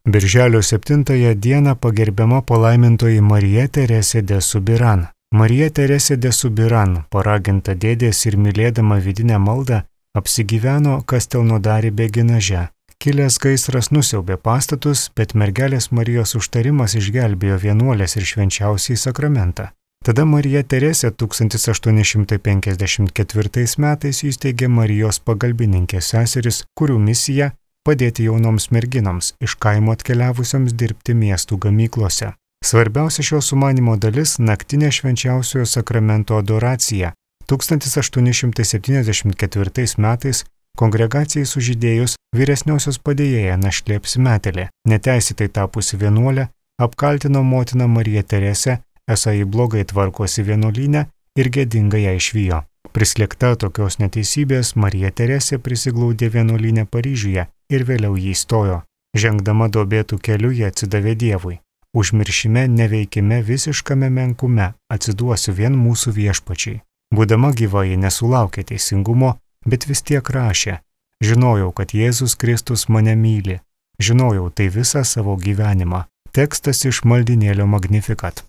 Birželio 7 dieną pagerbiama palaimintoji Marija Teresė de Subiran. Marija Teresė de Subiran, paraginta dėdės ir mylėdama vidinę maldą, apsigyveno Kastelnodari Beginaže. Kilęs gaisras nusiaubė pastatus, bet mergelės Marijos užtarimas išgelbėjo vienuolės ir švenčiausiąjį sakramentą. Tada Marija Teresė 1854 metais įsteigė Marijos pagalbininkės seseris, kurių misija padėti jaunoms merginoms iš kaimo atkeliavusioms dirbti miestų gamyklose. Svarbiausia šio sumanimo dalis – naktinė švenčiausiojo sakramento adoracija. 1874 metais kongregacijai sužydėjus vyresniosios padėjėja našlė apsimetėlė, neteisėtai tapusi vienuolė, apkaltino motiną Mariją Teresę, esą ji blogai tvarkosi vienuolyne ir gėdingai ją išvijo. Prislėgta tokios neteisybės, Marija Teresė prisiglaudė vienuolyne Paryžiuje ir vėliau jį įstojo. Žengdama duobėtų keliu jie atsidavė Dievui. Užmiršime, neveikime, visiškame menkume atsiduosiu vien mūsų viešpačiai. Būdama gyva ji nesulaukė teisingumo, bet vis tiek rašė: žinojau, kad Jėzus Kristus mane myli. Žinojau tai visą savo gyvenimą. Tekstas iš maldinėlio Magnificat.